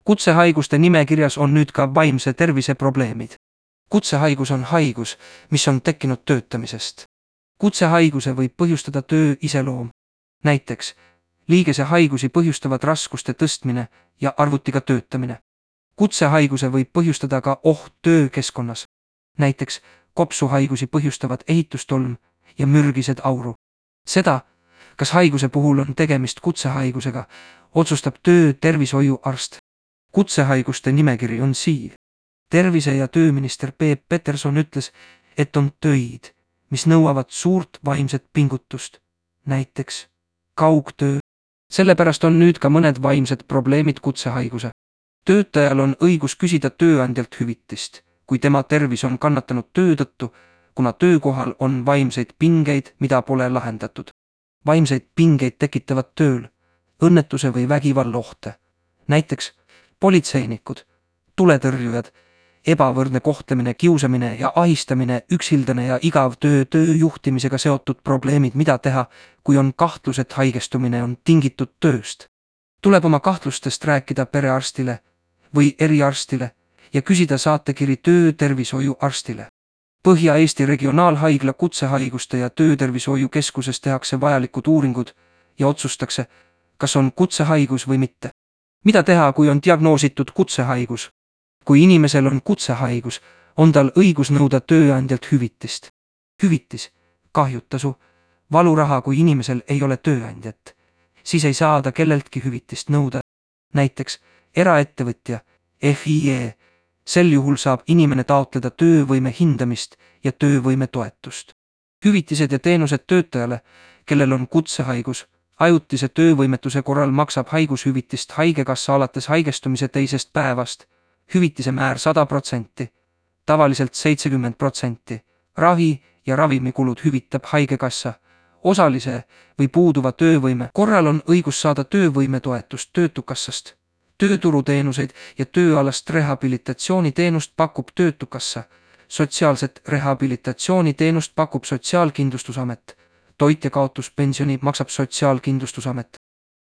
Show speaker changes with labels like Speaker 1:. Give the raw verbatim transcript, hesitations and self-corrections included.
Speaker 1: Kutsehaiguste nimekirjas on nüüd ka vaimse tervise probleemid. Kutsehaigus on haigus, mis on tekkinud töötamisest. Kutsehaiguse võib põhjustada töö iseloom. Näiteks, liigese haigusi põhjustavad raskuste tõstmine ja arvutiga töötamine. Kutsehaiguse võib põhjustada ka oht töökeskkonnas. Näiteks, kopsuhaigusi põhjustavad ehitustolm ja mürgised auru. Seda, kas haiguse puhul on tegemist kutsehaigusega, otsustab töötervishoiuarst. Kutsehaiguste nimekiri on siin. Tervise- ja tööminister Peep Peterson ütles, et on töid, mis nõuavad suurt vaimset pingutust. Näiteks kaugtöö. Sellepärast on nüüd ka mõned vaimsed probleemid kutsehaiguse. Töötajal on õigus küsida tööandjalt hüvitist, kui tema tervis on kannatanud töö tõttu, kuna töökohal on vaimseid pingeid, mida pole lahendatud. Vaimseid pingeid tekitavad tööl, õnnetuse või vägivalla ohte. Näiteks politseinikud, tuletõrjujad, ebavõrdne kohtlemine, kiusamine ja ahistamine, üksildane ja igav töö, töö juhtimisega seotud probleemid, mida teha, kui on kahtlus, et haigestumine on tingitud tööst. Tuleb oma kahtlustest rääkida perearstile või eriarstile ja küsida saatekiri töötervishoiuarstile. Põhja-Eesti Regionaalhaigla kutsehaiguste ja töötervishoiukeskuses tehakse vajalikud uuringud ja otsustakse, kas on kutsehaigus või mitte. Mida teha, kui on diagnoositud kutsehaigus? Kui inimesel on kutsehaigus, on tal õigus nõuda tööandjalt hüvitist. Hüvitis, kahjutasu, valuraha, kui inimesel ei ole tööandjat, siis ei saa ta kelleltki hüvitist nõuda. Näiteks eraettevõtja, F I E, sel juhul saab inimene taotleda töövõime hindamist ja töövõime toetust. Hüvitised ja teenused töötajale, kellel on kutsehaigus, ajutise töövõimetuse korral maksab haigushüvitist haigekassa alates haigestumise teisest päevast, hüvitise määr sada protsenti, tavaliselt seitsekümmend protsenti, ravi ja ravimikulud hüvitab haigekassa, osalise või puuduva töövõime korral on õigus saada töövõimetoetust töötukassast. Tööturuteenuseid ja tööalast rehabilitatsiooniteenust pakub töötukassa, sotsiaalset rehabilitatsiooniteenust pakub Sotsiaalkindlustusamet, toitjakaotuspensioni maksab Sotsiaalkindlustusamet.